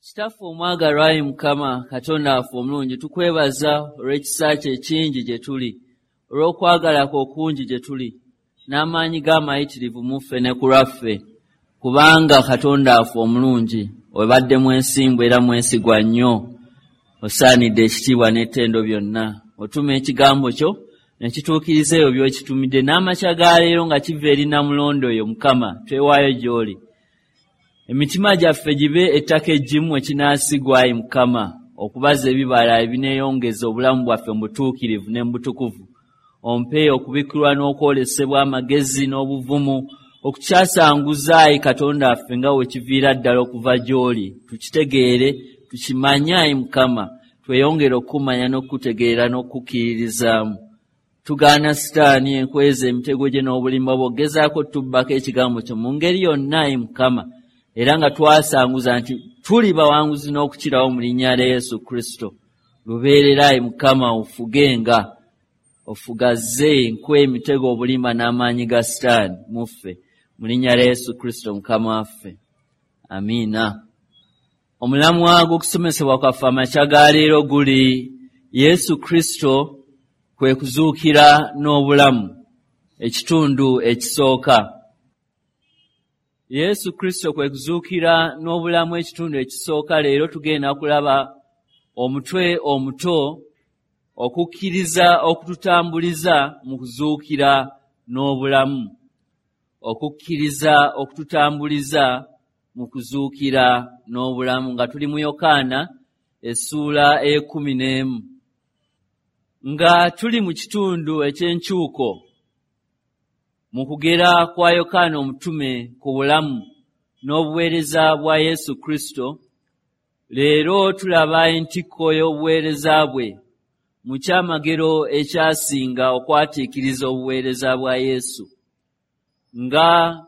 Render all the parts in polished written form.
Kitaffe omwagalwa, ayi Mukama Katonda waffe omulungi, tukwebaza olw'ekisa kyo ekingi gye tuli, olw'okwagala kwo okungi gye tuli, n'amaanyi g'amayitirivu mu ffe ne ku lwaffe, kubanga Katonda waffe omulungi obadde mwesimbu era mwesigwa nnyo, osaanidde ekitiibwa n'ettendo byonna. Otuma ekigambo kyo ne kituukiriza ebyo by'okitumidde, n'amakya ga leero nga kiva eri Namulondo oyo Mukama, twewaayo gy'oli. Emitima gyaffe gibe ettaka eggimu ekinaasigwa, ayi Mukama, okubaza ebibala ebineeyongeza obulamu bwaffe mu butuukirivu ne mu butukuvu. Ompe okubikkulwa n'okwolesebwa, amagezi n'obuvumu okukyasanguza, ayi Katonda waffe, nga we kiviira ddala okuva gy'oli. Tukitegeere, tukimanye, ayi Mukama, tweyongere okukumanya n'okukutegeera n'okukukkiririzaamu. Tugaana Sitaani, enkweza, emitego gye n'obulimba bwe ogezaako tubbako ekigambo kyo mu ngeri yonna, ayi Mukama, era nga twasanguza nti tuli bawanguzi n'okukirawo mu linnya lya Yesu Kristo. Lubeerera, ayi Mukama, ofugenga, ofugaze enkwe, emitego, obulimba n'amaanyi ga Sitaani mu ffe, mu linnya lya Yesu Kristo Mukama waffe, amiina. Omulamwa gw'okusomesebwa kwaffe amakya ga leero guli Yesu Kristo kwe kuzuukira n'obulamu, ekitundu ekisooka. Yesu Kristo kwe kuzuukira n'obulamu, ekitundu ekisooka. Leero tugenda kulaba omutwe omuto, okukkiriza okututambuliza mu kuzuukira n'obulamu. Okukkiriza okututambuliza mu kuzuukira n'obulamu, nga tuli mu Yokaana essuula ey'e11, nga tuli mu kitundu eky'enkyuko mu kugera kwa Yokaana omutume ku bulamu n'obuweereza bwa Yesu Kristo. Leero tulaba entikko y'obuweereza bwe mu kyamagero ekyasinga okwatiikiriza obuweereza bwa Yesu, nga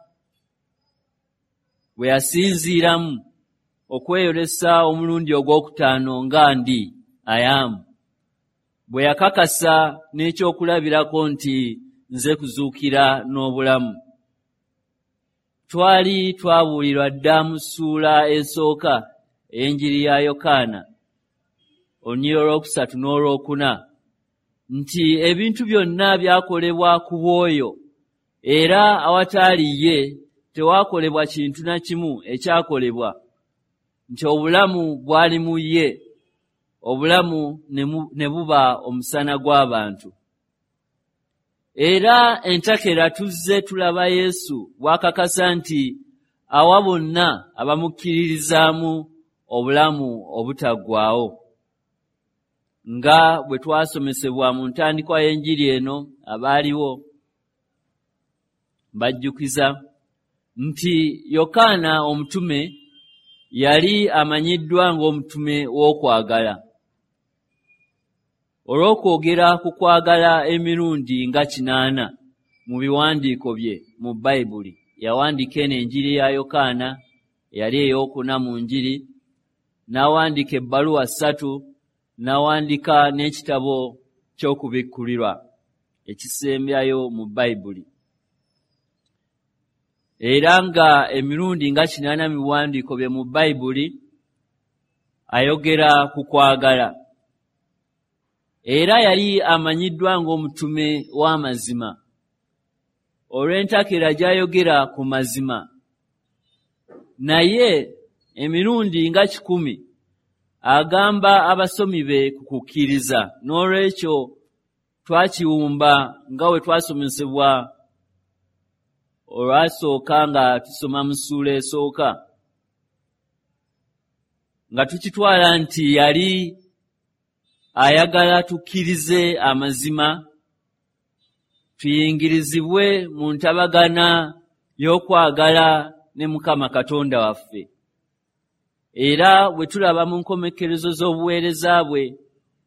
bwe yasinziiramu okweyolesa omulundi ogwokutaano nga ndi I am, bwe yakakasa n'ekyokulabirako nti nze kuzuukira n'obulamu. Twali twabuulirwa dda mu ssuula esooka ey'enjiri ya Yokaana, olunyiriri olwokusatu n'olwokuna, nti ebintu byonna byakolebwa ku bw'oyo, era awataali ye tewakolebwa kintu na kimu ekyakolebwa, nti obulamu bwali mu ye, obulamu ne buba omusana gw'abantu. Era entakera tuzze tulaba Yesu bw'akakasa nti awa bonna abamukkiririzaamu obulamu obutaggwaawo, nga bwe twasomesebwa mu ntandikwa y'enjiri eno. Abaaliwo mbajjukiza nti Yokaana omutume yali amanyiddwa ng'omutume w'okwagala olw'okwogera ku kwagala emirundi nga 80 mu biwandiiko bye mu Bayibuli. Yawandiika eno enjiri ya Yokaana, eyali ey'okuna mu njiri, n'awandiika ebbaluwa 3, n'awandiika n'ekitabo ky'okubikkulirwa ekisembyayo mu Bayibuli. Era nga emirundi nga 80 mu biwandiiko bye mu Bayibuli ayogera ku kwagala. Era yali amanyiddwa ng'omutume w'amazima olw'entakera gy'ayogera ku mazima. Naye emirundi nga 100 agamba abasomi be ku kukkiriza. N'olwekyo twakiwumba nga bwe twasomesebwa olwasooka nga tusoma mu ssuula esooka, nga tukitwala nti yali ayagala tukkirize amazima, tuyingirizibwe mu ntabagana y'okwagala ne Mukama Katonda waffe. Era bwe tulaba mu nkomekkerezo z'obuweereza bwe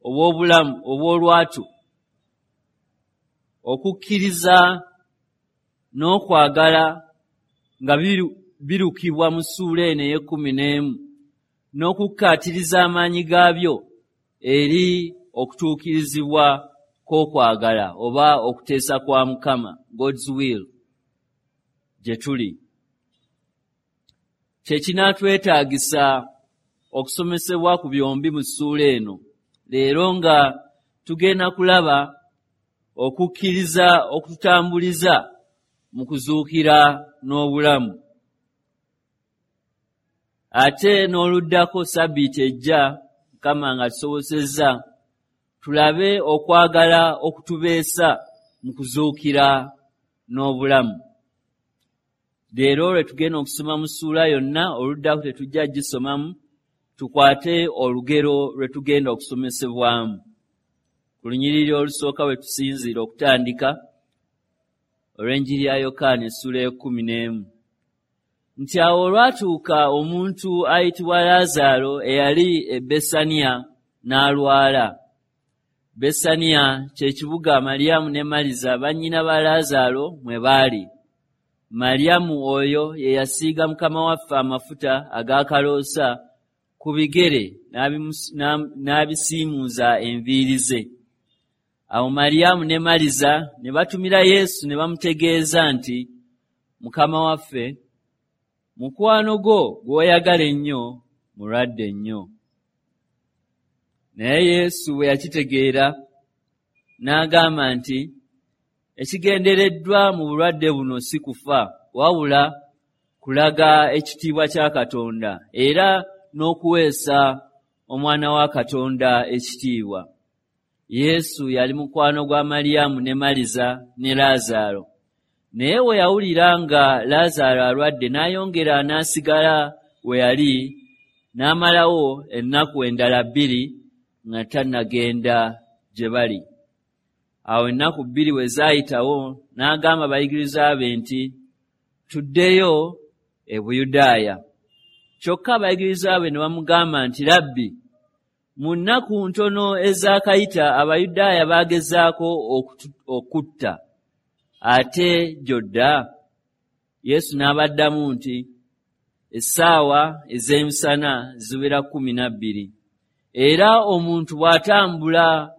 obw'obulamu obw'olwatu, okukkiriza n'okwagala nga birukibwa mu ssuula eno ey'e11, n'okukkaatiriza amaanyi gaabyo eri okutuukirizibwa kw'okwagala oba okuteesa kwa Mukama, God's will, gye tuli. Kye kinaatwetaagisa okusomesebwa ku byombi mu ssuula eno. Leero nga tugenda kulaba okukkiriza okututambuliza mu kuzuukira n'obulamu. Ate n'oluddako Ssabbiiti ejja, Mukama nga tusobosezza, tulabe okwagala okutubeesa mu kuzuukira n'obulamu. Leero lwe tugenda okusoma mu ssuula yonna, oluddako tetujja gisomamu, tukwate olugero lwe tugenda okusomesebwamu. Ku lunyiriri olusooka we tusinziira okutandika olw'enjiri ya Yokaana essuula 11. Nti awo olwatuuka omuntu ayitibwa Laazaalo eyali e Besaniya n'alwala. Besaniya kye kibuga Mariyamu ne Maliza bannyina ba Laazaalo mwe baali. Mariyamu oyo ye yasiiga Mukama waffe amafuta ag'akaloosa ku bigere n'abisiimuuza enviiri ze. Awo Mariyamu ne Maliza ne batumira Yesu ne bamutegeeza nti, Mukama waffe, mukwano gwo gw'oyagala ennyo mulwadde nnyo. Naye Yesu bwe yakitegeera n'agamba nti, ekigendereddwa mu bulwadde buno si kufa, wabula kulaga ekitiibwa kya Katonda era n'okuweesa Omwana wa Katonda ekitiibwa. Yesu yali mukwano gwa Mariyamu ne Maliza ne Laazaalo. Naye bwe yawulira nga Laazaalo alwadde, n'ayongera n'asigala we yali, n'amalawo ennaku endala 2 nga tannagenda gye bali. Awo ennaku 2 bwe zaayitawo, n'agamba abayigirizwa be nti, tuddeyo e Buyudaaya. Kyokka abayigirizwa be ne bamugamba nti, Labbi, mu nnaku ntono ezaakayita Abayudaaya baagezaako okutta, ate gy'odda? Yesu n'abaddamu nti, essaawa ez'emisana ziwera 12. Era omuntu bw'atambula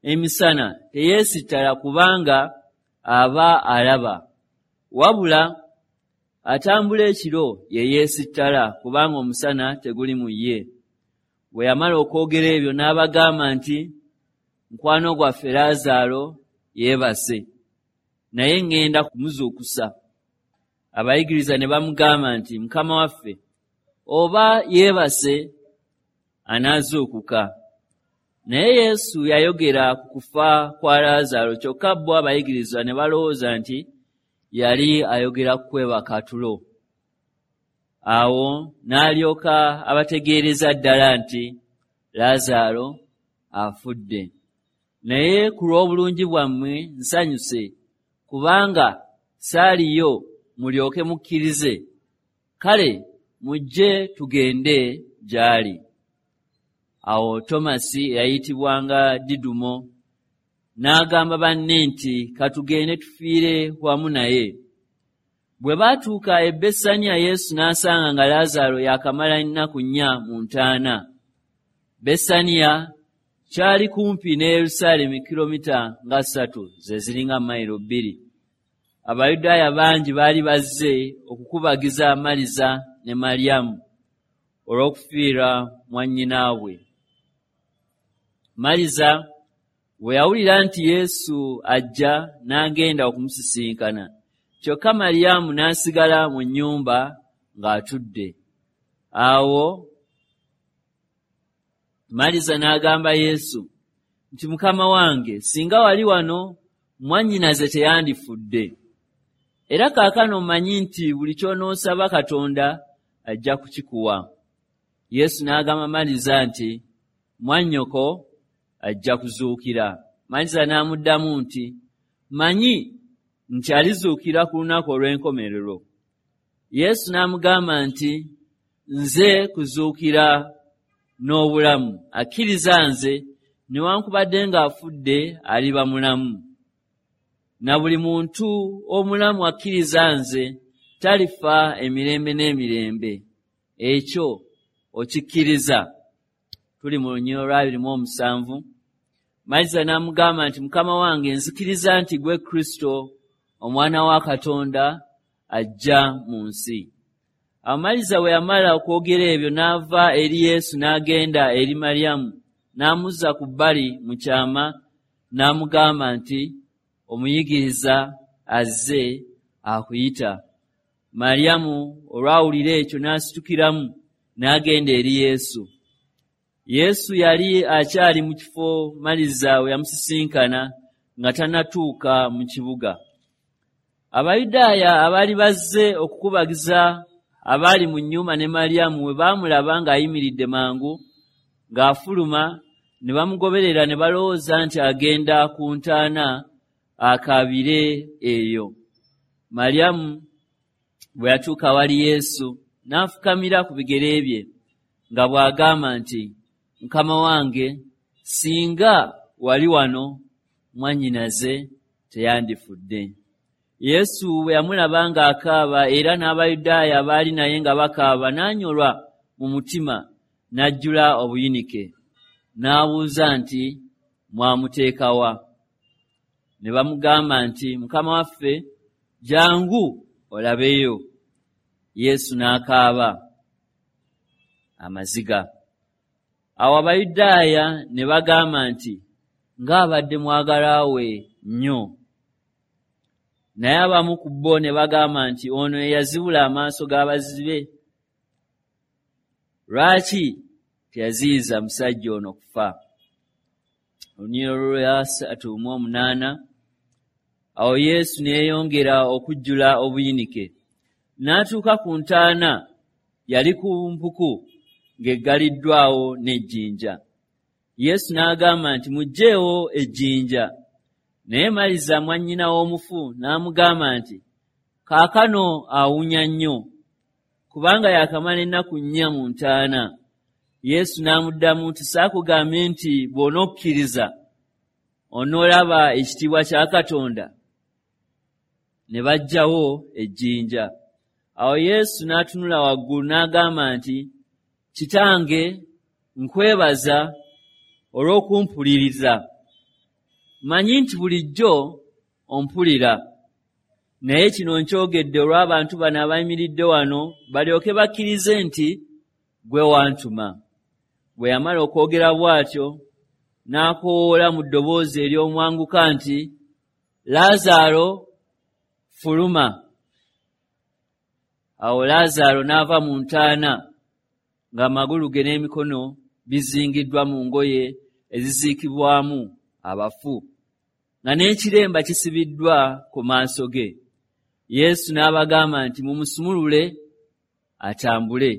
emisana teyeesittala kubanga aba alaba, wabula atambula ekiro ye yeesittala kubanga omusana teguli mu ye. Bwe yamala okwogera ebyo n'abagamba nti, mukwano gwaffe Laazaalo yeebase, naye ŋŋenda kumuzuukusa. Abayigiriza ne bamugamba nti, Mukama waffe, oba yeebase anaazuukuka. Naye Yesu yayogera ku kufa kwa Laazaalo, kyokka bo abayigirizwa ne balowooza nti yali ayogera ku kwebaka tulo. Awo n'alyoka abategeereza ddala nti Laazaalo afudde. Naye ku lw'obulungi bwammwe nsanyuse, kubanga saaliyo mulyoke mukkirize. Kale mujje tugende gy'ali. Awo Tomasi eyayitibwanga Didumo n'agamba banne nti, katugende tufiire wamu naye. Bwe baatuuka e Besaniya, Yesu n'asanga nga Laazaalo yaakamala ennaku 4 mu ntaana. Besaniya kyali kumpi ne Yerusaalemi kilomita nga 3, ze ziringa mayiro 2. Abayudaaya bangi baali bazze okukubagiza Maliza ne Mariyamu olw'okufiirwa mwannyinaabwe. Maliza bwe yawulira nti Yesu ajja, n'agenda okumusisinkana. Kyokka Mariyamu n'asigala mu nnyumba ng'atudde. Awo Maliza n'agamba Yesu nti, Mukama wange, singa wali wano, mwannyinaze teyandifudde. Era kaakano mmanyi nti buli ky'onoosaba Katonda ajja kukikuwa. Yesu n'agamba Maliza nti, mwannyoko ajja kuzuukira. Maliza n'amuddamu nti, mmanyi nti alizuukira ku lunaku olw'enkomerero. Yesu n'amugamba nti, nze kuzuukira n'obulamu. Akkiriza nze, newankubadde ng'afudde aliba mulamu. Na buli muntu omulamu akkiriza nze talifa emirembe n'emirembe. Ekyo okikkiriza? Tuli mu lunyiriri olwa 27. Maliza n'amugamba nti, Mukama wange, nzikiriza nti gwe Kristo, Omwana wa Katonda, ajja mu nsi. Awo Maliza bwe yamala okwogera ebyo n'ava eri Yesu n'agenda eri Mariyamu, n'amuzza ku bbali mu kyama n'amugamba nti, "Omuyigiriza azze akuyita." Mariyamu olwawulira ekyo n'asitukiramu n'agenda eri Yesu. Yesu yali akyali mu kifo Maliza we yamusisinkana nga tannatuuka mu kibuga. Abayudaaya abaali bazze okukubagiza abaali mu nnyumba ne Mariyamu bwe baamulaba ng'ayimiridde mangu ng'afuluma, ne bamugoberera ne balowooza nti agenda ku ntaana akaabire eyo. Mariyamu bwe yatuuka awali Yesu n'afukamira ku bigere bye nga bw'agamba nti, "Mukama wange, singa wali wano mwannyinaze teyandifudde." Yesu bwe yamulaba ng'akaaba era n'Abayudaaya abaali naye nga bakaaba, n'anyolwa mu mutima n'ajjula obuyinike. N'abuuza nti, "Mwamuteeka wa?" Ne bamugamba nti, "Mukama waffe, jjangu olabeyo." Yesu n'akaaba amaziga. Awo Abayudaaya ne bagamba nti, "Ng'abadde mwagalwa we nnyo." Naye abamu ku bo ne bagamba nti, "Ono ye yazibula amaaso g'abazibe, lwaki teyaziyiza musajja ono kufa?" Olunyiriri olwa 38. Awo Yesu ne yeeyongera okujjula obuyinike. N'atuuka ku ntaana, yali ku mpuku ng'eggaliddwawo n'ejjinja. Yesu n'agamba nti, "Muggyeewo ejjinja." Naye Maliza mwannyina w'omufu n'amugamba nti, "Kaakano awunya nnyo, kubanga yaakamala ennaku 4 mu ntaana." Yesu n'amuddamu nti, "Saakugambye nti bw'onokkiriza onoolaba ekitiibwa kya Katonda?" Ne baggyawo ejjinja. Awo Yesu n'atunula waggulu n'agamba nti, "Kitange, nkwebaza olw'okumpuliriza. Mmanyi nti bulijjo ompulira, naye kino nkyogedde olw'abantu bano abayimiridde wano balyoke bakkirize nti ggwe wantuma." Bwe yamala okwogera bw'atyo, n'akoowoola mu ddoboozi ery'omwanguka nti, "Laazaalo, fuluma." Awo Laazaalo n'ava mu ntaana ng'amagulu ge n'emikono bizingiddwa mu ngoye eziziikibwamu abafu, nga n'ekiremba kisibiddwa ku maaso ge. Yesu n'abagamba nti, "Mumusumulule atambule."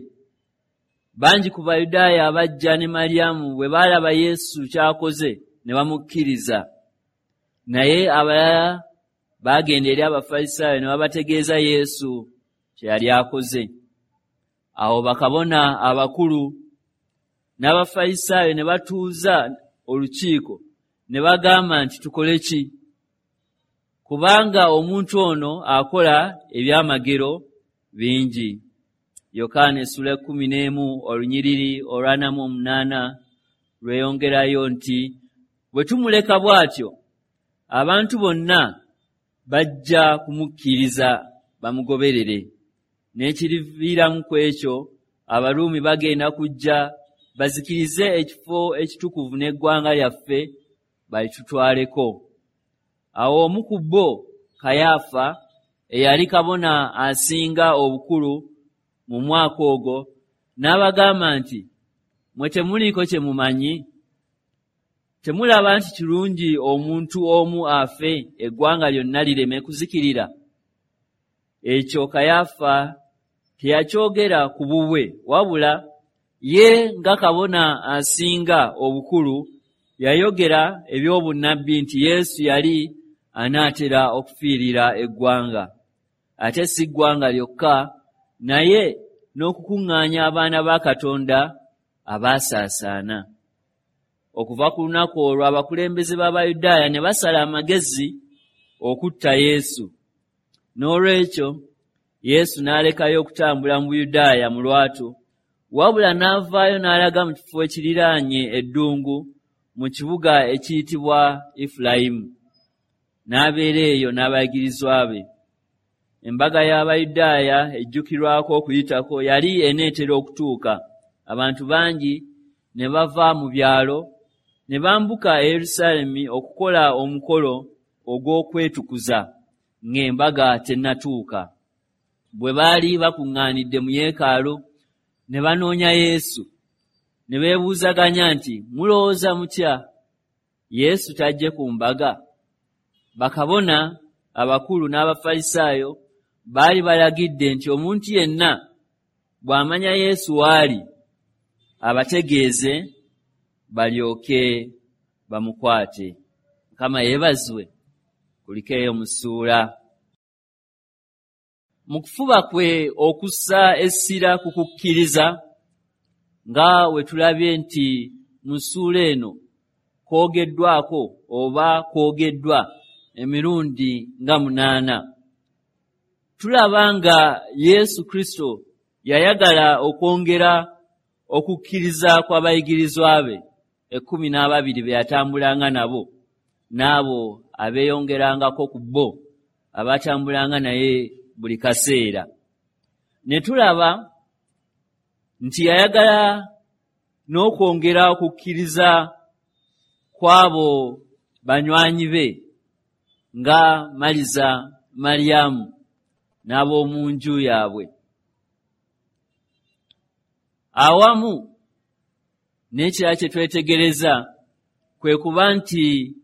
Bangi ku Bayudaaya abajja ne Mariyamu bwe baalaba Yesu ky'akoze ne bamukkiriza. Naye abalala baagenda eri Abafalisaayo ne babategeeza Yesu kye yali akoze. Awo bakabona abakulu n'Abafalisaayo ne batuuza olukiiko ne bagamba nti, "Tukole ki? Kubanga omuntu ono akola ebyamagero bingi." Yokaana essula 11 olunyiriri olwa 48 lweyongerayo nti, "Bwe tumuleka bw'atyo, abantu bonna bajja kumukkiriza bamugoberere. N'ekiriviiramu ku ekyo, Abaruumi bagenda kujja bazikirize ekifo ekitukuvu n'eggwanga lyaffe balitutwaleko." Awo omu ku bo, Kayaafa, eyali kabona asinga obukulu mu mwaka ogwo, n'abagamba nti, "Mwe temuliiko kye mumanyi? Temulaba nti kirungi omuntu omu afe eggwanga lyonna lireme kuzikirira?" Ekyo Kayaafa teyakyogera ku bubwe, wabula ye nga kabona asinga obukulu yayogera eby'obunnabbi nti Yesu yali anaatera okufiirira eggwanga, ate si ggwanga lyokka, naye n'okukuŋŋaanya abaana ba Katonda abaasaasaana. Okuva ku lunaku olwo abakulembeze b'Abayudaaya ne basala amagezi okutta Yesu. N'olwekyo Yesu n'alekayo okutambula mu Buyudaaya mu lwatu, wabula n'avaayo n'alaga mu kifo ekiriraanye eddungu mu kibuga ekiyitibwa Efulayimu, n'abeera eyo n'abayigirizwa be. Embaga y'Abayudaaya ejjukirwako Okuyitako yali eneetera okutuuka. Abantu bangi ne bava mu byalo ne bambuka e Yerusaalemi okukola omukolo ogw'okwetukuza ng'embaga tennatuuka. Bwe baali bakuŋŋaanidde mu yeekaalu ne banoonya Yesu, ne beebuuzaganya nti, "Mulowooza mutya? Yesu tajje ku mbaga?" Bakabona abakulu n'Abafalisaayo baali balagidde nti omuntu yenna bw'amanya Yesu w'ali abategeeze balyoke bamukwate. Mukama yeebazibwe. Kulikeeyo mu ssuula. Mu kufuba kwe okussa essira ku kukkiriza, nga we tulabye nti mu ssuula eno kwogeddwako oba kwogeddwa emirundi nga 8, tulaba nga Yesu Kristo yayagala okwongera okukkiriza kw'abayigirizwa be 12 be yatambulanga nabo, n'abo abeeyongerangako ku bo abatambulanga naye buli kaseera. Ne tulaba nti yayagala n'okwongera okukkiriza kw'abo banywanyi be nga Maliza, Mariyamu n'ab'omu nju yaabwe. Awamu n'ekirala kye twetegereza kwe kuba nti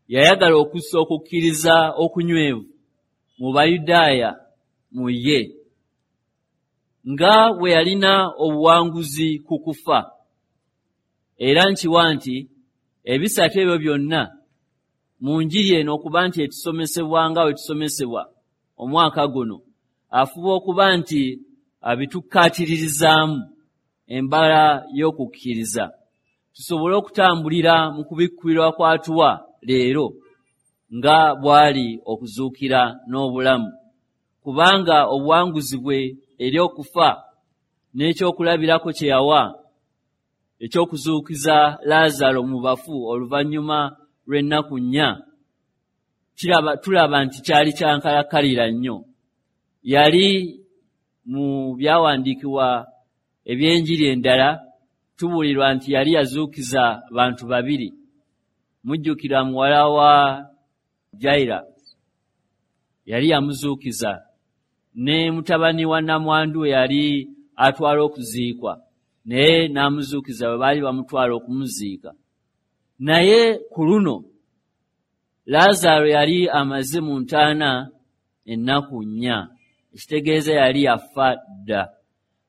yayagala okussa okukkiriza okunywevu mu Bayudaaya mu ye, nga bwe yalina obuwanguzi ku kufa. Era nkiwa nti ebisatu ebyo byonna mu njiri eno okuba nti etusomesebwa nga bwe tusomesebwa omwaka guno, afuba okuba nti abitukkaatiririzaamu embala y'okukkiriza, tusobole okutambulira mu kubikkulirwa kw'atuwa leero nga bw'ali okuzuukira n'obulamu, kubanga obuwanguzi bwe eri okufa n'ekyokulabirako kye yawa ekyokuzuukiza Laazaalo mu bafu oluvannyuma lw'ennaku 4, tulaba nti kyali kyankalakkalira nnyo. Yali mu byawandiikibwa eby'enjiri endala tubuulirwa nti yali yazuukiza bantu 2. Mujjukira muwala wa Jaira yali yamuzuukiza, ne mutabani wa namwandu yali atwala okuziikwa, naye n'amuzuukiza bwe baali bamutwala okumuziika. Naye ku luno Laazaalo yali amaze mu ntaana ennaku 4, ekitegeeza yali yafa dda.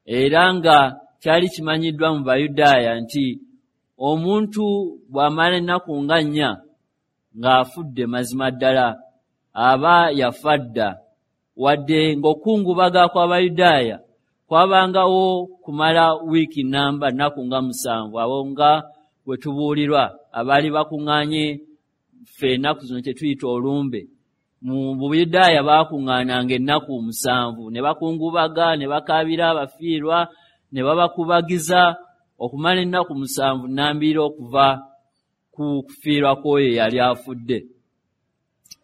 Era nga kyali kimanyiddwa mu Bayudaaya nti omuntu bw'amala ennaku nga 4 ng'afudde, mazima ddala aba yafa dda. Wadde ng'okukungubaga kw'Abayudaaya kwabangawo kumala wiiki namba, nnaku nga 7, abo nga bwe tubuulirwa abaali bakuŋŋaanye ffe ennaku zino kye tuyita olumbe. Mu Buyudaaya baakuŋŋaananga ennaku 7 ne bakungubaga, ne bakaabira abafiirwa, ne babakubagiza okumala ennaku 7 nnambiro okuva ku kufiirwa kw'oyo eyali afudde.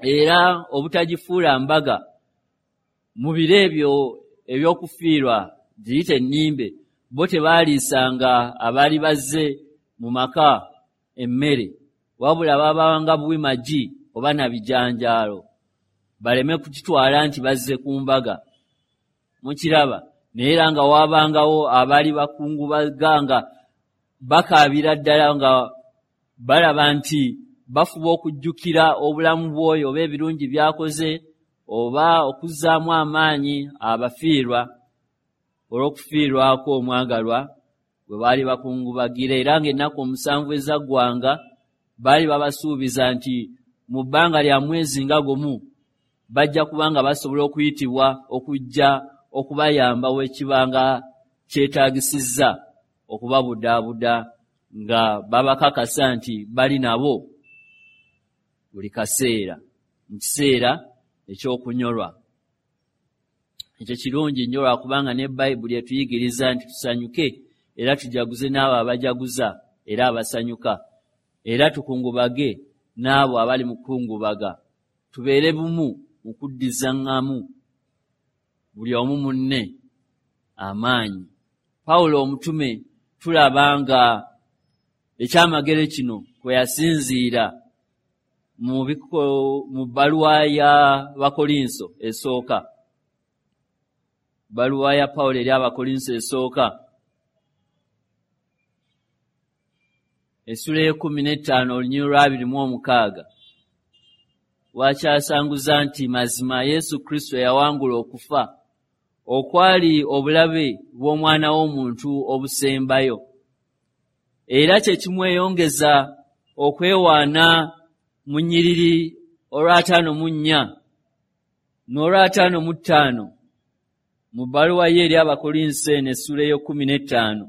Era obutagifuula mbaga mu biro ebyo ebyokufiirwa giyite ennimbe, bo tebaaliisanga abaali bazze mu maka emmere, wabula babawanga buwi magi oba na bijanjaalo, baleme kukitwala nti bazze ku mbaga. Mukiraba? Naye era nga waabangawo abaali bakungubaga nga bakaabira ddala, nga balaba nti bafuba okujjukira obulamu bw'oyo oba ebirungi by'akoze, oba okuzzaamu amaanyi abafiirwa olw'okufiirwako omwagalwa bwe baali bakungubagira. Era ng'ennaku 7 ezaggwanga baali babasuubiza nti mu bbanga lya mwezi nga gumu bajja kubanga basobola okuyitibwa okujja okubayamba wekibanga kyetaagisizza okubabudaabuda, nga babakakasa nti bali nabo buli kaseera mu kiseera ekyokunyolwa. Ekyo kirungi nnyo lwakubanga ne Bayibuli etuyigiriza nti tusanyuke era tujaguze n'abo abajaguza era abasanyuka, era tukungubage n'abo abali mu kukungubaga, tubeere bumu mu kuddizaŋŋamu buli omu munne amaanyi. Pawulo omutume tulaba nga ekyamagero kino kwe yasinziira mu bbaluwa ya Bakolinso esooka, bbaluwa ya Pawulo eri Abakolinso esooka essula 15 olunyiriri lwa 26, wakyasanguza nti mazima Yesu Kristo yawangula okufa okwali obulabe bw'omwana w'omuntu obusembayo, era kye kimweyongeza okwewaana mu nnyiriri olwa 54 n'olwa 55 mu bbaluwa ye eri Abakolinso eno essula 15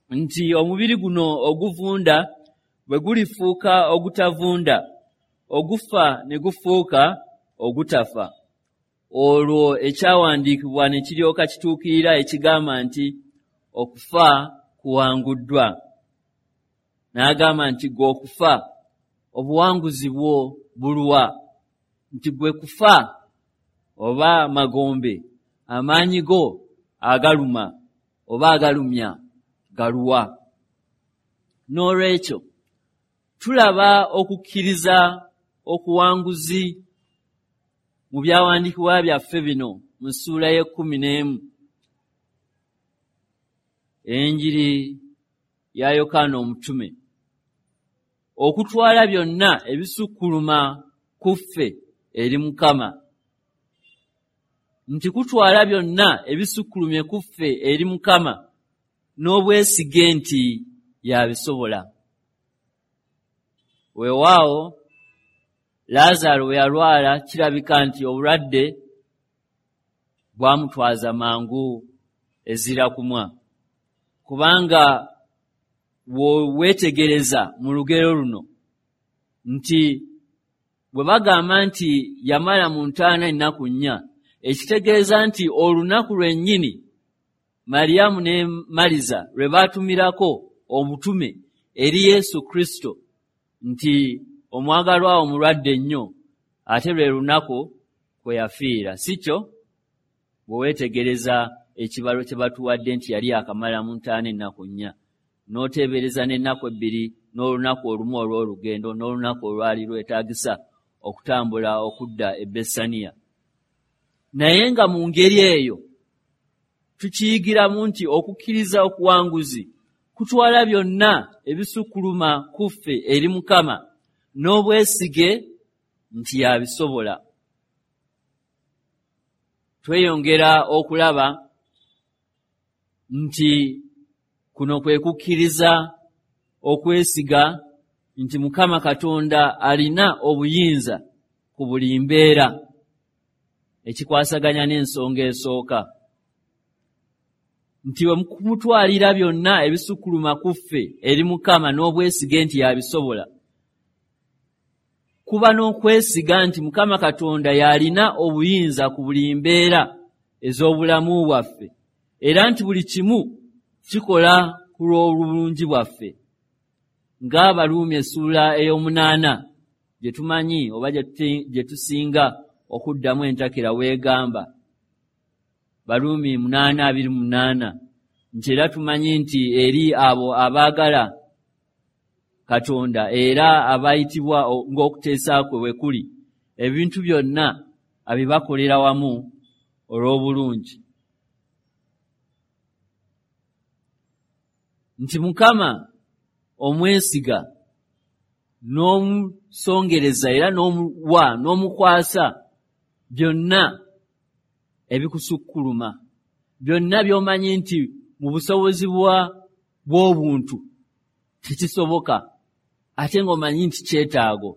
nti omubiri guno oguvunda bwe gulifuuka ogutavunda, ogufa ne gufuuka ogutafa, olwo ekyawandiikibwa ne kiryoka kituukirira ekigamba nti okufa kuwanguddwa. N'agamba nti ggwe okufa obuwanguzi bwo buluwa? Nti gwe kufa oba magombe amaanyi go agaluma oba agalumya galuwa? N'olwekyo tulaba okukkiriza okuwanguzi mu byawandiikibwa byaffe bino mu ssuula 11 enjiri ya Yokaana omutume, okutwala byonna ebisukkuluma ku ffe eri Mukama, nti kutwala byonna ebisukkulumye ku ffe eri Mukama n'obwesige nti yabisobola. Weewaawo Laazaalo bwe yalwala kirabika nti obulwadde bwamutwaza mangu ezira kumwa, kubanga bw'oweetegereza mu lugero luno nti bwe bagamba nti yamala mu ntaana ennaku 4, ekitegeeza nti olunaku lwennyini Mariyamu ne Maliza lwe baatumirako obutume eri Yesu Kristo nti omwagalwa omulwadde nnyo, ate lwe lunaku kwe yafiira, si kyo? Bwe weetegereza ekibalo kye batuwadde nti yali akamala mu ntaana ennaku 4, n'oteebereza n'ennaku 2 n'olunaku olumu olw'olugendo n'olunaku olwali lwetaagisa okutambula okudda e Bessaniya. Naye nga mu ngeri eyo tukiyigiramu nti okukkiriza okuwanguzi kutwala byonna ebisukkuluma ku ffe eri Mukama n'obwesige nti yabisobola. Tweyongera okulaba nti kuno kwe kukkiriza okwesiga nti Mukama Katonda alina obuyinza ku buli mbeera, ekikwasaganya n'ensonga esooka nti bwe kumutwalira byonna ebisukkuluma ku ffe eri Mukama n'obwesige nti yabisobola, kuba n'okwesiga nti Mukama Katonda y'alina obuyinza ku buli mbeera ez'obulamu bwaffe, era nti buli kimu kikola ku lw'obulungi bwaffe, ng'Abaruumi essuula 8 gye tumanyi oba gye tusinga okuddamu entakera weegamba, Baruumi 8:28 nti era tumanyi nti eri abo abaagala Katonda era abayitibwa ng'okuteesa kwe bwe kuli, ebintu byonna abibakolera wamu olw'obulungi. Nti Mukama omwesiga n'omusongereza era n'omuwa n'omukwasa byonna ebikusukkuluma, byonna by'omanyi nti mu busobozi bw'obuntu tekisoboka, ate ng'omanyi nti kyetaago,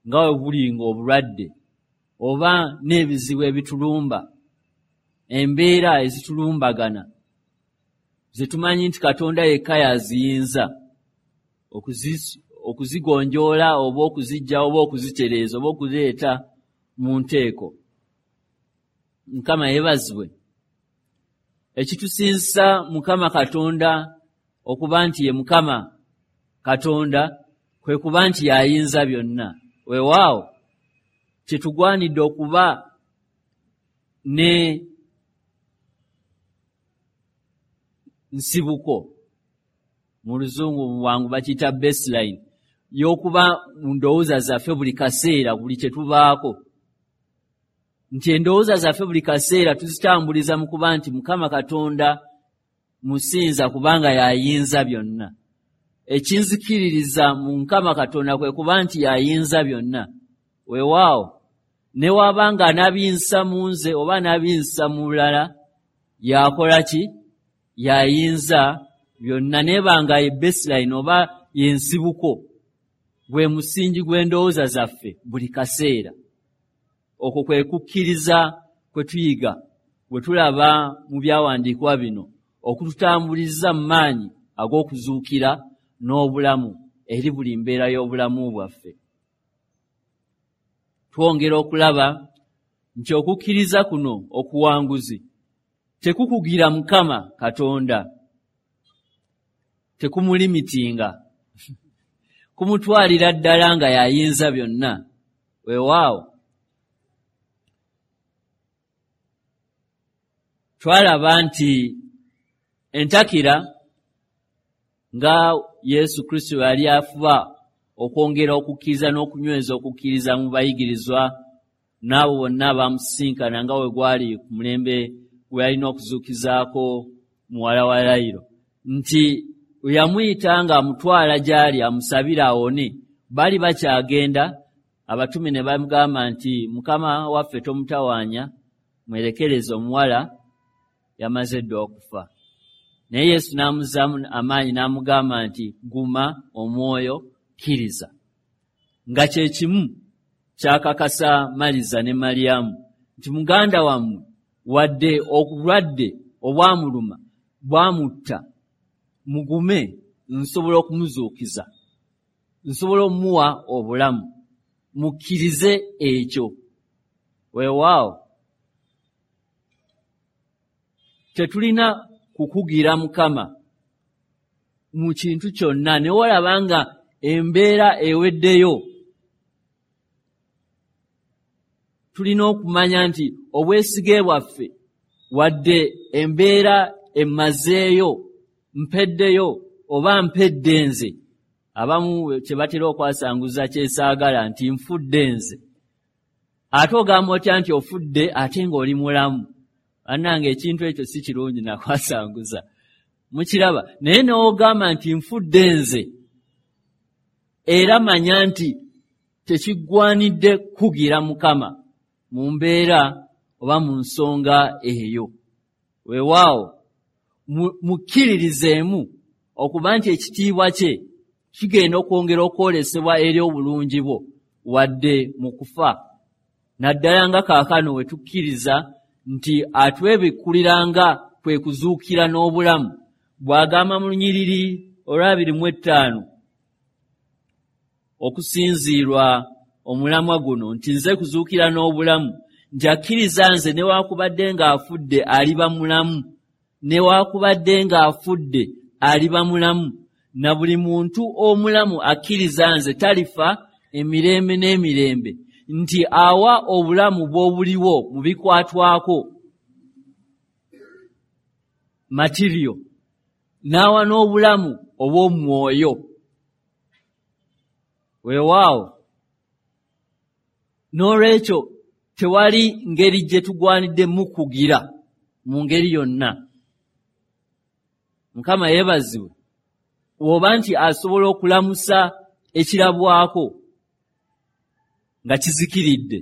nga bwe buli ng'obulwadde oba n'ebizibu ebitulumba, embeera ezitulumbagana ze tumanyi nti Katonda yekka y'aziyinza okuzigonjoola oba okuziggyawo oba okuzitereeza oba okuzireeta mu nteeko. Mukama yeebazibwe. Ekitusinzisa Mukama Katonda okuba nti ye Mukama Katonda kwe kuba nti y'ayinza byonna. Weewaawo kyetugwanidde okuba ne nsibuko. Mu luzungu mu bwangu bakiyita baseline, y'okuba mu ndowooza zaffe buli kaseera, buli kye tubaako. Nti endowooza zaffe buli kaseera tuzitambuliza mu kuba nti Mukama Katonda musinza kubanga y'ayinza byonna. Ekinzikiririza mu Mukama Katonda kwe kuba nti y'ayinza byonna. Weewaawo, ne waba nga anaabiyinza mu nze oba anaabiyinza mu mulala, y'akola ki? Y'ayinza byonna. Neeba nga ye baseline oba y'ensibuko, gwe musingi gw'endowooza zaffe buli kaseera. Okwo kwe kukkiriza kwe tuyiga bwe tulaba mu byawandiikibwa bino, okututambuliza mu maanyi ag'okuzuukira n'obulamu eri buli mbeera y'obulamu bwaffe. Twongera okulaba nti okukkiriza kuno okuwanguzi tekukugira Mukama Katonda, tekumulimitinga, kumutwalira ddala nga y'ayinza byonna. Weewaawo, twalaba nti entakira nga Yesu Kristo yali afuba okwongera okukkiriza n'okunyweza okukkiriza mu bayigirizwa n'abo bonna abamusisinkana, nga we gwali ku mulembe gwe yalina okuzuukizaako muwala wa Yayiro, nti yamuyita ng'amutwala gy'ali amusabire awone. Baali bakyagenda, abatume ne bamugamba nti Mukama waffe tomutawaanya, mwerekereze, omuwala yamaze dda okufa. Naye Yesu n'amuzzaamu amaanyi n'amugamba nti guma omwoyo, kkiriza. Nga kye kimu kyakakasa Maliza ne Mariyamu nti muganda wammwe wadde obulwadde obwamuluma bwamutta, mugume, nsobola okumuzuukiza, nsobola okumuwa obulamu, mukkirize ekyo. Weewaawo, tetulina kukugira Mukama mu kintu kyonna. Ne walaba nga embeera eweddeyo, tulina okumanya nti obwesige bwaffe wadde embeera emazeeyo, mpeddeyo oba mpedde nze, abamu kye batera okwasanguza kyesaagala nti nfudde nze. Ate ogamba otya nti ofudde ate ng'oli mulamu? Bannange, ekintu ekyo si kirungi nakwasanguza, mukiraba? Naye n'ogamba nti nfudde nze, era manya nti tekiggwanidde kugira Mukama mu mbeera oba mu nsonga eyo. Weewaawo, mukkiririzeemu okuba nti ekitiibwa kye kigenda okwongera okwolesebwa eri obulungi bwo wadde mu kufa, naddala nga kaakano we tukkiriza nti atwebikkulira nga kwe kuzuukira n'obulamu, bw'agamba mu lunyiriri olw'25 okusinziirwa omulamwa guno nti nze kuzuukira n'obulamu, nti akkiriza nze newaakubadde ng'afudde aliba mulamu, newaakubadde ng'afudde aliba mulamu, na buli muntu omulamu akkiriza nze talifa emirembe n'emirembe, nti awa obulamu bw'obuliwo mu bikwatwako material, n'awa n'obulamu obw'omwoyo. Weewaawo, n'olwekyo tewali ngeri gye tugwanidde mukugira mu ngeri yonna. Mukama yeebazibwe oba nti asobola okulamusa ekirabwako nga kizikiridde,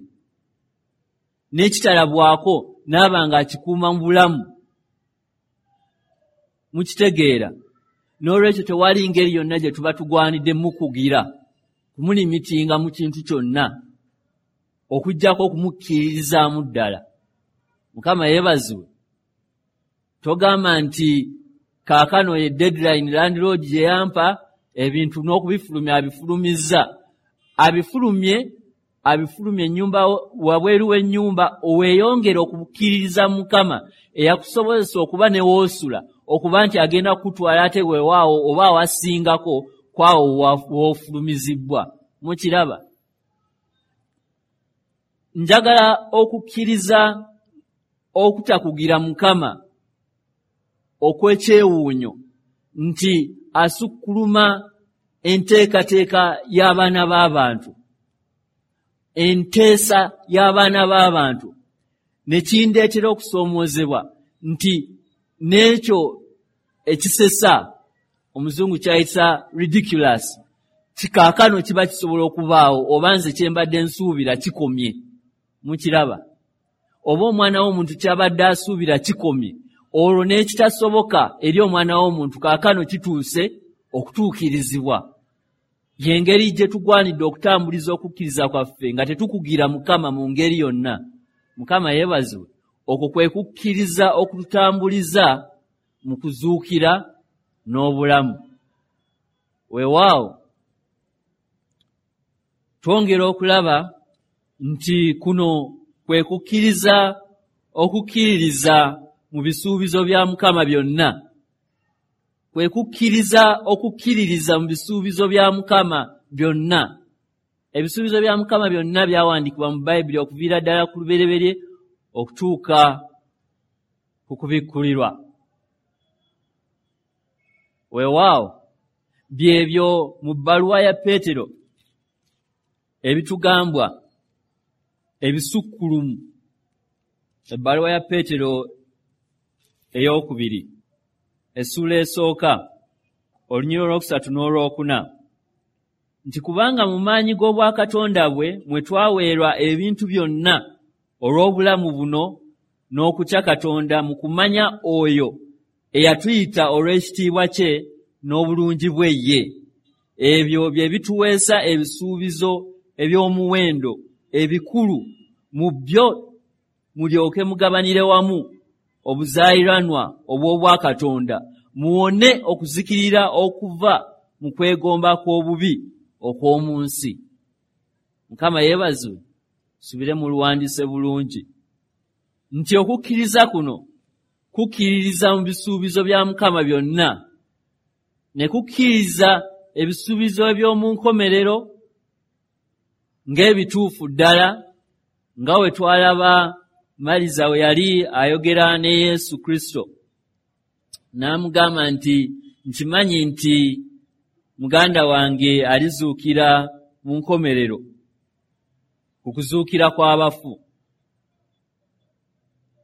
n'ekitalabwako n'aba ng'akikuuma mu bulamu. Mukitegeera? N'olwekyo tewali ngeri yonna gye tuba tugwanidde mukugira kumulimitinga mu kintu kyonna, okuggyako okumukkiririzaamu ddala. Mukama yeebazibwe. Togamba nti kaakano ye deadline landlord gye yampa, ebintu n'okubifulumya abifulumizza, abifulumye abifulumye ennyumba, wabweru w'ennyumba. Weeyongere okukkiririza Mukama eyakusobozesa okuba ne woosula, okuba nti agenda kukutwala ate weewaawo oba awasingako kwawo woofulumizibwa. Mukiraba? Njagala okukkiriza okutakugira Mukama okw'ekyewuunyo nti asukkuluma enteekateeka y'abaana b'abantu, enteesa y'abaana b'abantu, ne kindeetera okusoomoozebwa nti n'ekyo ekisesa omuzungu kyayita ridiculous kikaakano kiba kisobola okubaawo, oba nze kye mbadde nsuubira kikomye. Mukiraba, oba omwana w'omuntu kyabadde asuubira kikomye, olwo n'ekitasoboka eri omwana w'omuntu kaakano kituuse okutuukirizibwa. Y'engeri gye tugwanidde okutambuliza okukkiriza kwaffe nga tetukugira Mukama mu ngeri yonna. Mukama yeebazibwe. Okwo kwe kukkiriza okututambuliza mu kuzuukira n'obulamu. Weewaawo twongera okulaba nti kuno kwe kukkiriza okukkiririza mu bisuubizo bya Mukama byonna. Kwe kukkiriza okukkiririza mu bisuubizo bya Mukama byonna. Ebisuubizo bya Mukama byonna byawandiikibwa mu Bayibuli okuviira ddala ku lubereberye okutuuka ku kubikkulirwa. Weewaawo byebyo mu bbaluwa ya Peetero ebitugambwa ebisukkulumu. Ebbaluwa ya Peetero ey'okubiri essuula esooka olunyiriri olwokusatu n'olwokuna nti kubanga mu maanyi g'obwakatonda bwe mwe twaweerwa ebintu byonna olw'obulamu buno n'okutya Katonda mu kumanya oyo eyatuyita olw'ekitiibwa kye n'obulungi bwe ye. Ebyo bye bituweesa ebisuubizo eby'omuwendo ebikulu, mu byo mulyoke mugabanire wamu obuzaayiranwa obw'obwakatonda, muwone okuzikirira okuva mu kwegomba kw'obubi okw'omu nsi. Mukama yeebazibwe. Subire mu luwandiise bulungi nti okukkiriza kuno kukkiririza mu bisuubizo bya Mukama byonna, ne kukkiriza ebisuubizo eby'omu nkomerero ng'ebituufu ddala, nga we twalaba Maliza we yali ayogera ne Yesu Kristo n'amugamba nti nkimanyi nti muganda wange alizuukira mu nkomerero ku kuzuukira kw'abafu.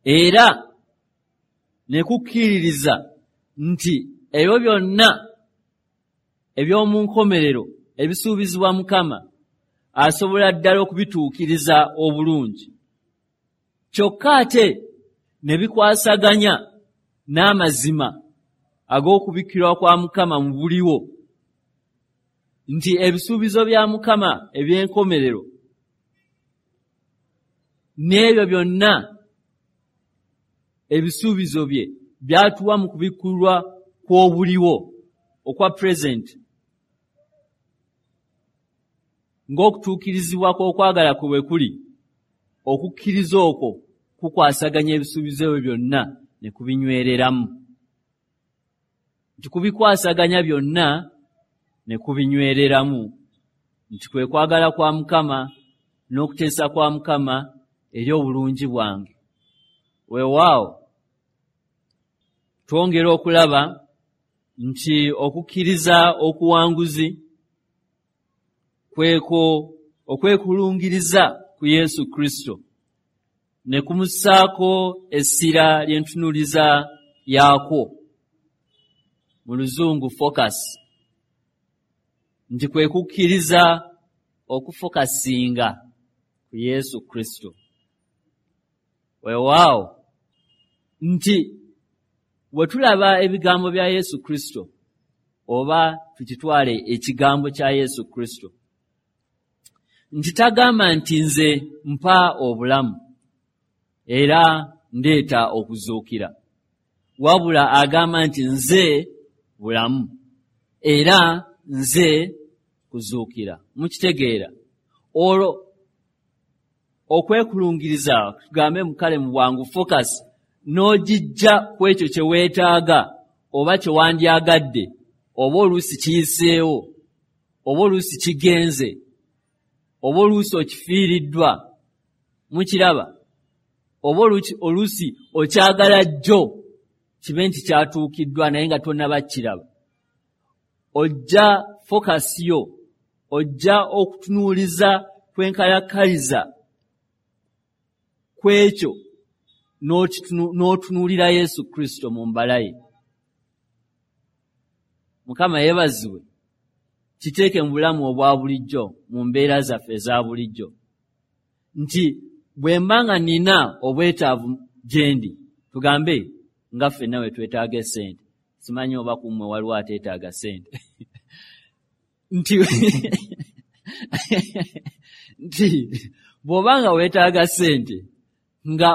Era ne kukkiririza nti ebyo byonna eby'omu nkomerero ebisuubizibwa Mukama asobola ddala okubituukiriza obulungi. Kyokka ate ne bikwasaganya n'amazima ag'okubikkirwa kwa Mukama mu buliwo, nti ebisuubizo bya Mukama eby'enkomerero n'ebyo byonna ebisuubizo bye byatuwa mu kubikkulwa kw'obuliwo okwa present, ng'okutuukirizibwa kw'okwagala kwe bwe kuli, okukkiriza okwo kukwasaganya ebisuubizo ebyo byonna ne kubinywereramu. Nti kubikwasaganya byonna ne kubinywereramu, nti kwe kwagala kwa Mukama n'okuteesa kwa Mukama eri obulungi bwange. Weewaawo twongera okulaba nti okukkiriza okuwanguzi kwekwo okwekulungiriza ku Yesu Kristo ne kumussaako essira ly'entunuuliza yaakwo, mu luzungu focus, nti kwe kukkiriza okufokasinga ku Yesu Kristo. Weewaawo nti bwe tulaba ebigambo bya Yesu Kristo, oba tukitwale ekigambo kya Yesu Kristo, nti tagamba nti nze mpa obulamu era ndeeta okuzuukira, wabula agamba nti nze bulamu era nze kuzuukira. Mukitegeera? Olwo okwekulungiriza, tugambe mukale mu bwangu focus, n'ogijja ku ekyo kye weetaaga oba kye wandyagadde, oba oluusi kiyiseewo, oba oluusi kigenze, oba oluusi okifiiriddwa. Mukiraba? Oba oluusi okyagala jjo kibe nti kyatuukiddwa naye nga tonnaba kiraba. Ojja focus yo, ojja okutunuuliza kwenkalakkaliza kw'ekyo n'otunuulira Yesu Kristo mu mbala ye. Mukama yeebazibwe. Kiteeke mu bulamu obwa bulijjo, mu mbeera zaffe eza bulijjo, nti bwe mba nga nina obwetaavu gye ndi, tugambe nga ffenna we twetaaga essente, simanyi oba ku mmwe waliwo ateetaaga ssente, nti bw'oba nga weetaaga ssente nga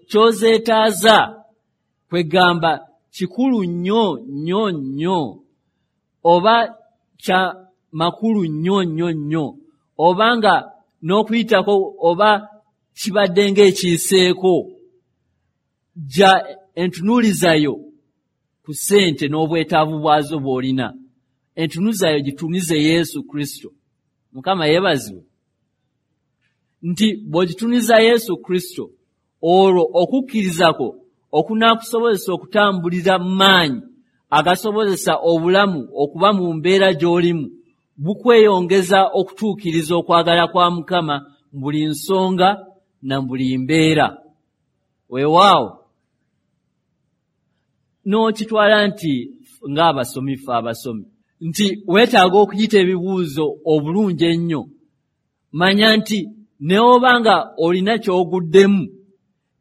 ky'ozeetaaza kwegamba kikulu nnyo nnyo nnyo, oba kya makulu nnyo nnyo nnyo, oba nga n'okuyitako oba kibadde ng'ekiyiseeko, jja entunuulizayo ku ssente n'obwetaavu bwazo bw'olina, entunuulizayo gitunuze Yesu Kristo. Mukama yeebazibwe. Nti bw'ogitunuza Yesu Kristo, olwo okukkirizako okunaakusobozesa okutambulira mu maanyi agasobozesa obulamu okuba mu mbeera gy'olimu bukweyongeza okutuukiriza okwagala kwa Mukama mu buli nsonga na buli mbeera. Weewaawo n'okitwala nti ng'abasomi ffe abasomi nti weetaaga okuyita ebibuuzo obulungi ennyo. Manya nti ne oba nga olina ky'oguddemu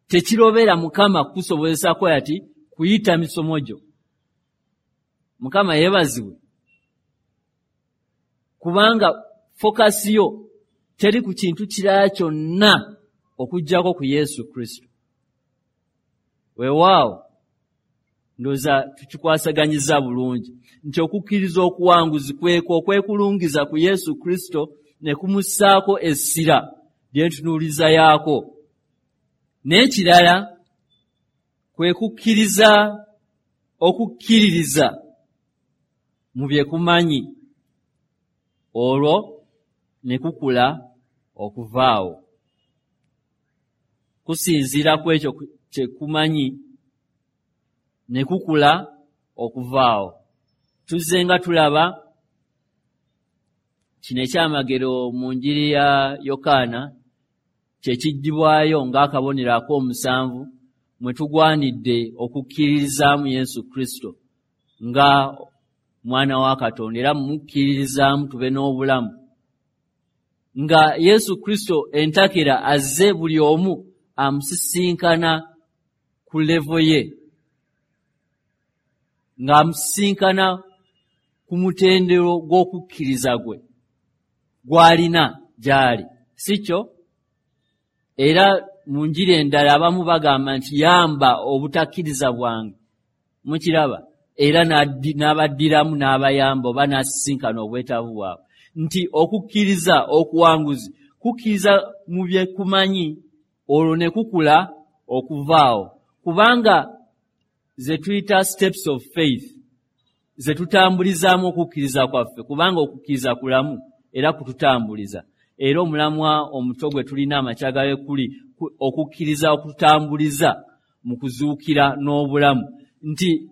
tekirobera Mukama kukusobozesa ati kuyita misomo gyo. Mukama yeebazibwe. Kubanga focus yo teri ku kintu kirala kyonna okuggyako ku Yesu Kristo. Weewaawo ndowooza tukikwasaganyiza bulungi nti okukkiriza okuwanguzi kwekwo okwekulungiza ku Yesu Kristo ne kumussaako essira lyentunuuliza yaako. N'ekirala kwe kukkiriza okukkiririza mu bye kumanyi, olwo ne kukula okuvaawo. Kusinziira ku ekyo kye kumanyi ne kukula okuvaawo. Tuzze nga tulaba kino ekyamagero mu njiri ya Yokaana kye kiggyibwayo ng'akabonero ak'omusanvu mwe tugwanidde okukkiririzaamu Yesu Kristo nga mwana wa Katonda, era mukkiririzaamu tube n'obulamu. Nga Yesu Kristo entakera azze buli omu amusisinkana ku levo ye, ng'amusisinkana ku mutendero gw'okukkiriza gwe gw'alina gy'ali, si kyo? Era mu njiri endala abamu bagamba nti yamba obutakkiriza bwange, mukiraba, era n'abaddiramu n'abayamba oba n'asisinkana obwetaavu bwabwe. Nti okukkiriza okuwanguzi kukkiriza mu bye kumanyi, olwo ne kukula okuvaawo. Kubanga ze tuyita steps of faith ze tutambulizaamu okukkiriza kwaffe, kubanga okukkiriza kulamu era kututambuliza. Era omulamwa omuto gwe tulina amakya ga kuli okukkiriza okututambuliza mu kuzuukira n'obulamu. Nti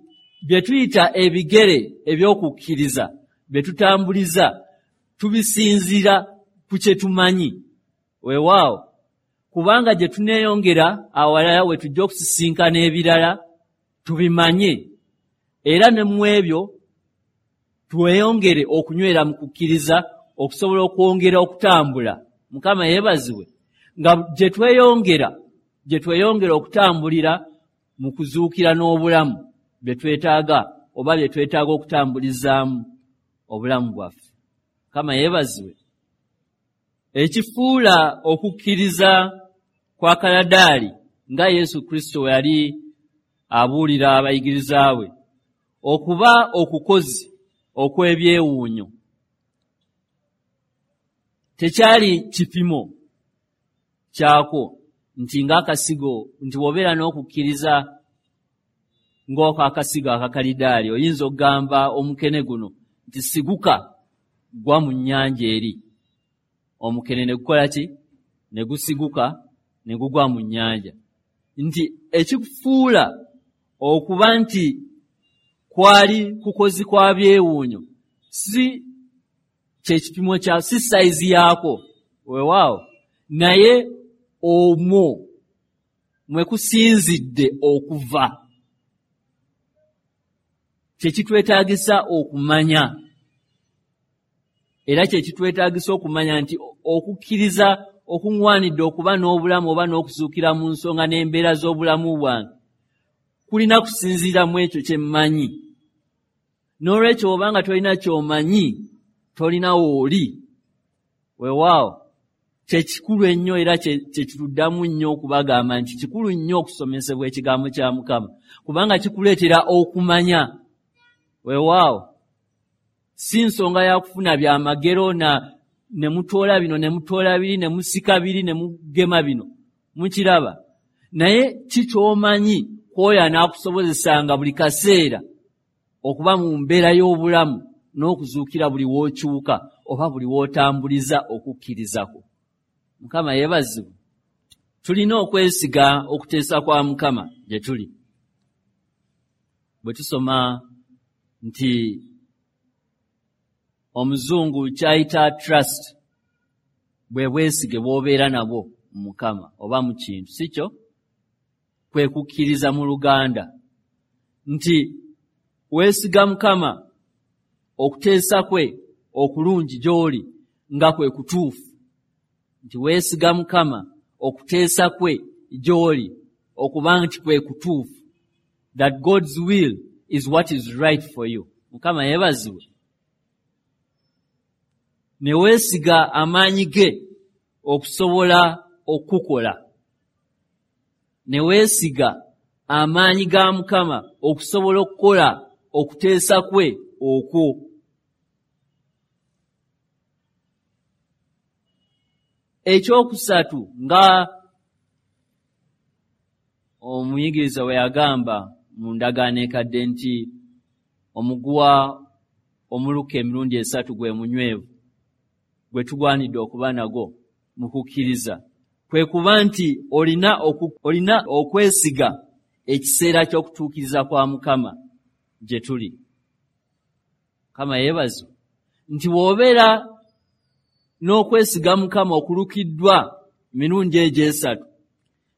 bye tuyita ebigere eby'okukkiriza bye tutambuliza tubisinziira ku kye tumanyi. Weewaawo, kubanga gye tuneeyongera awalala we tujja okusisinkana ebirala tubimanye, era ne mu ebyo tweyongere okunywera mu kukkiriza okusobola okwongera okutambula. Mukama yeebazibwe. Nga gye tweyongera okutambulira mu kuzuukira n'obulamu bye twetaaga oba bye twetaaga okutambulizaamu obulamu bwaffe. Mukama yeebazibwe. Ekifuula okukkiriza kwa kaladaali nga Yesu Kristo we yali abuulira abayigiriza be okuba okukozi okw'ebyewuunyo tekyali kipimo kyakwo nti ng'akasigo, nti bw'obeera n'okukkiriza ng'oko akasigo akakalidaali oyinza okugamba omukene guno nti siguka gwa mu nnyanja eri, omukene ne gukola ki? Ne gusiguka ne gugwa mu nnyanja. Nti ekikufuula okuba nti kwali kukozi kwa byewuunyo si kyekipimo kya si sayizi yaako, weewaawo, naye omwo mwe kusinzidde okuva kyekitwetaagisa okumanya. Era kyekitwetaagisa okumanya nti okukkiriza okuŋŋwanidde okuba n'obulamu oba n'okuzuukira mu nsonga n'embeera z'obulamu bwange kulina kusinziira mu ekyo kye mmanyi. N'olwekyo obanga tolina ky'omanyi, tolina w'oli. Weewaawo, kye kikulu ennyo era kye kituddamu nnyo okubagamba nti kikulu nnyo okusomesebwa ekigambo kya Mukama, kubanga kikuleetera okumanya. Weewaawo, si nsonga ya kufuna byamagero na ne mutoola bino ne mutoola biri ne musika biri ne mugema bino, mukiraba. Naye ki ky'omanyi kw'oyo anaakusobozesanga buli kaseera okuba mu mbeera y'obulamu n'okuzuukira buli w'okyuka oba buli w'otambuliza okukkiriza kwo. Mukama yeebazibwe. Tulina okwesiga okuteesa kwa Mukama gye tuli. Bwe tusoma nti omuzungu ky'ayita trust bwe bwesige bw'obeera nabwo mu Mukama oba mu kintu, si kyo? Kwe kukkiriza mu Luganda nti weesiga Mukama okuteesa kwe okulungi gy'oli nga kwe kutuufu, nti weesiga Mukama okuteesa kwe gy'oli okuba nti kwe kutuufu, that God's will is what is right for you. Mukama yeebazibwe. Ne weesiga amaanyi ge okusobola okukola, ne weesiga amaanyi ga Mukama okusobola okukola okuteesa kwe okwo. Ekyokusatu, nga omuyigiriza bwe yagamba mu ndagaano ekadde nti omuguwa omuluka emirundi 3 gwe munywevu gwe tugwanidde okuba nagwo mu kukkiriza, kwe kuba nti olina okwesiga ekiseera ky'okutuukiriza kwa Mukama gye tuli. Mukama yeebazibwe. Nti bw'obeera n'okwesiga Mukama okulukiddwa emirundi egyo 3,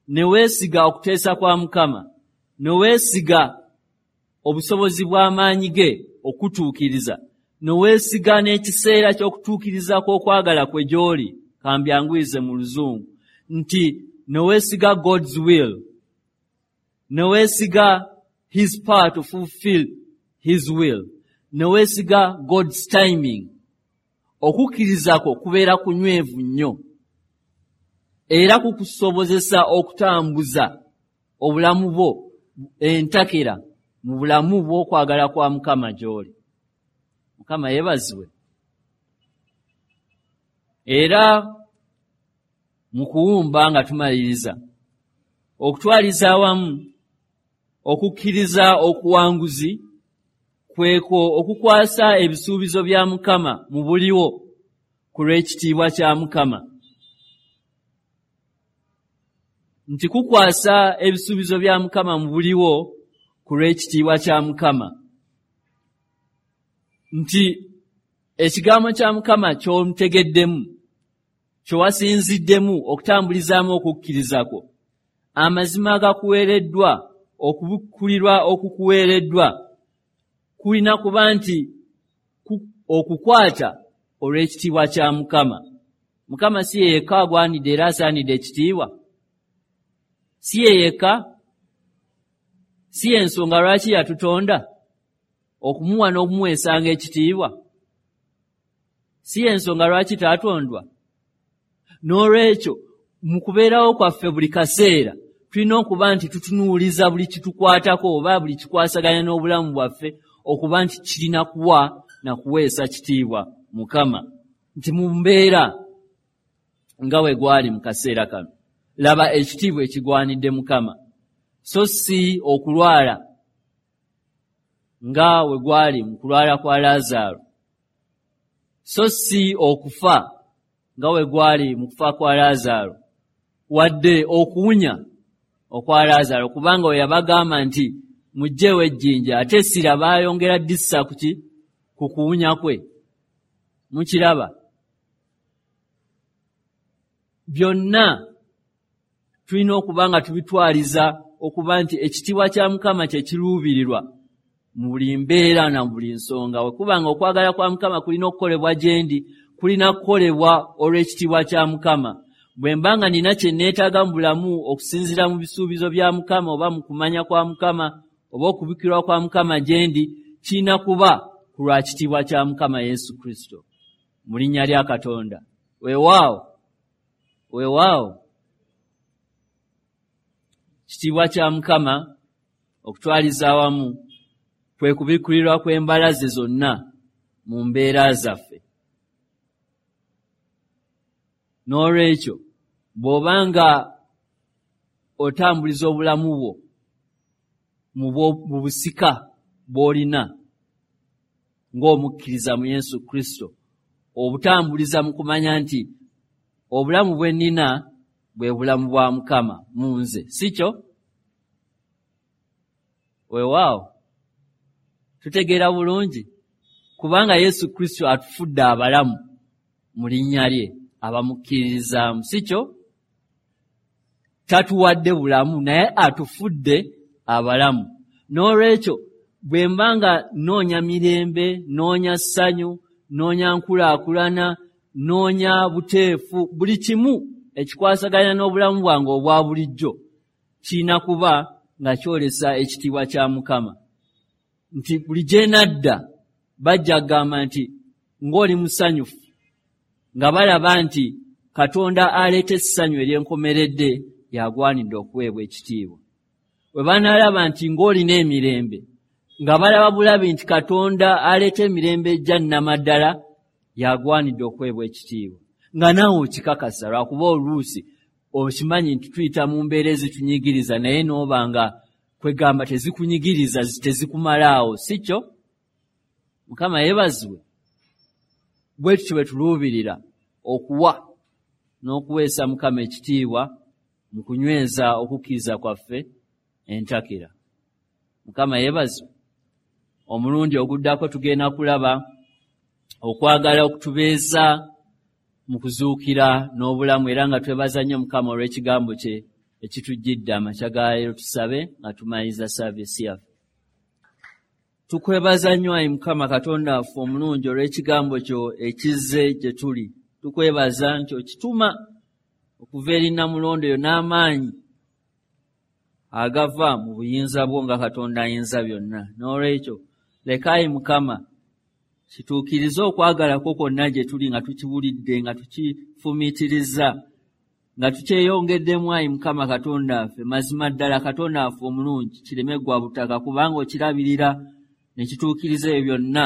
ne weesiga okuteesa kwa Mukama, ne weesiga obusobozi bw'amaanyi ge okutuukiriza, ne weesiga n'ekiseera ky'okutuukiriza kw'okwagala kwe gy'oli, kambyanguyize mu Luzungu nti ne weesiga God's will, ne weesiga his power to fulfill his will, ne weesiga God's timing. Okukkiriza kwo kubeera kunywevu nnyo era kukusobozesa okutambuza obulamu bwo entakera mu bulamu bw'okwagala kwa Mukama gy'oli. Mukama yeebazibwe. Era mu kuwumba nga tumaliriza, okutwaliza awamu okukkiriza okuwanguzi kwekwo okukwasa ebisuubizo bya Mukama mu buliwo ku lw'ekitiibwa kya Mukama. Nti kukwasa ebisuubizo bya Mukama mu buliwo ku lw'ekitiibwa kya Mukama. Nti ekigambo kya Mukama ky'omutegeddemu, kyewasinziddemu okutambulizaamu okukkiriza kwo, amazima agakuweereddwa, okubikkulirwa okukuweereddwa, kulina kuba nti okukwata olw'ekitiibwa kya Mukama. Mukama si ye yekka agwanidde era asaanidde ekitiibwa, si ye yekka, si y'ensonga lwaki yatutonda okumuwa n'okumuweesanga ekitiibwa, si y'ensonga lwaki taatondwa. N'olwekyo mu kubeerawo kwaffe buli kaseera tulina okuba nti tutunuuliza buli kitukwatako oba buli kikwasaganya n'obulamu bwaffe okuba nti kirina kuwa na kuweesa kitiibwa Mukama. Nti mu mbeera nga bwe gwali mu kaseera kano, laba ekitiibwa ekigwanidde Mukama, so si okulwala nga we gwali mu kulwala kwa Laazaalo, so si okufa nga we gwali mu kufa kwa Laazaalo, wadde okuwunya okwa Laazaalo, kubanga we yabagamba nti muggyeewo ejjinja, ate essira baayongera dissa ku ki? Ku kuwunya kwe. Mukiraba? Byonna tulina okuba nga tubitwaliza okuba nti ekitiibwa kya Mukama kye kiruubirirwa mu buli mbeera na buli nsonga. We kubanga okwagala kwa Mukama kulina okukolebwa gye ndi, kulina kukolebwa olw'ekitiibwa kya Mukama. Bwe mba nga nina kye neetaaga mu bulamu okusinziira mu bisuubizo bya Mukama oba mu kumanya kwa Mukama oba okubikkirwa kwa Mukama gye ndi, kirina kuba ku lwa kitiibwa kya Mukama Yesu Kristo. Mu linnya lya Katonda. Weewaawo, weewaawo. Kitiibwa kya Mukama okutwaliza awamu kwe kubikkulirwa kw'embala ze zonna mu mbeera zaffe. N'olwekyo bw'oba nga otambuliza obulamu bwo mu busika bw'olina ng'omukkiriza mu Yesu Kristo, obutambuliza mu kumanya nti obulamu bwe nnina bwe bulamu bwa Mukama mu nze, si kyo? Weewaawo, tutegeera bulungi, kubanga Yesu Kristo atufudde abalamu mu linnya lye abamukkiririzaamu, si kyo? Tatuwadde bulamu, naye atufudde abalamu. N'olwekyo bwe mba nga nnoonya mirembe, nnoonya ssanyu, nnoonya nkulaakulana, nnoonya buteefu, buli kimu ekikwasaganya n'obulamu bwange obwa bulijjo kirina kuba nga kyolesa ekitiibwa kya Mukama. Nti buli gye nadda bajja kugamba nti ng'oli musanyufu, nga balaba nti Katonda aleeta essanyu ery'enkomeredde y'agwanidde okuweebwa ekitiibwa. Bwe banaalaba nti ng'olina emirembe, nga balaba bulabi nti Katonda aleeta emirembe egya nnamaddala y'agwanidde okuweebwa ekitiibwa. Nga naawe okikakasa, lwakuba oluusi okimanyi nti tuyita mu mbeera ezitunyigiriza, naye n'oba nga kwegamba tezikunyigiriza, tezikumalaawo, si kyo? Mukama yeebazibwe. Bwe tutyo bwe tuluubirira okuwa n'okuweesa Mukama ekitiibwa mu kunyweza okukkiriza kwaffe entakera. Mukama yeebazibwe. Omulundi oguddako tugenda kulaba okwagala okutubeeza mu kuzuukira n'obulamu, era nga twebaza nnyo Mukama olw'ekigambo kye ekitujjidde amakya ga leero. Tusabe nga tumaliriza saaviisi yaffe. Tukwebaza nnyo ayi Mukama Katonda waffe omulungi olw'ekigambo kyo ekizze gye tuli. Tukwebaza nti okituma okuva eri Nnamulondo eyo n'amaanyi agava mu buyinza bwo nga Katonda ayinza byonna. N'olwekyo leka ayi Mukama kituukirize okwagala kwo kwonna gye tuli, nga tukiwulidde, nga tukifumiitiriza, nga tukyeyongeddemu ayi Mukama Katonda waffe. Mazima ddala Katonda waffe omulungi kireme ggwa butaka, kubanga okirabirira ne kituukiriza ebyo byonna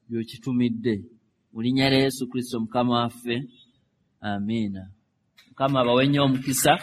by'okitumidde. Mu linnya lya Yesu Kristo Mukama waffe, amiina. Mukama abawe nnyo omukisa.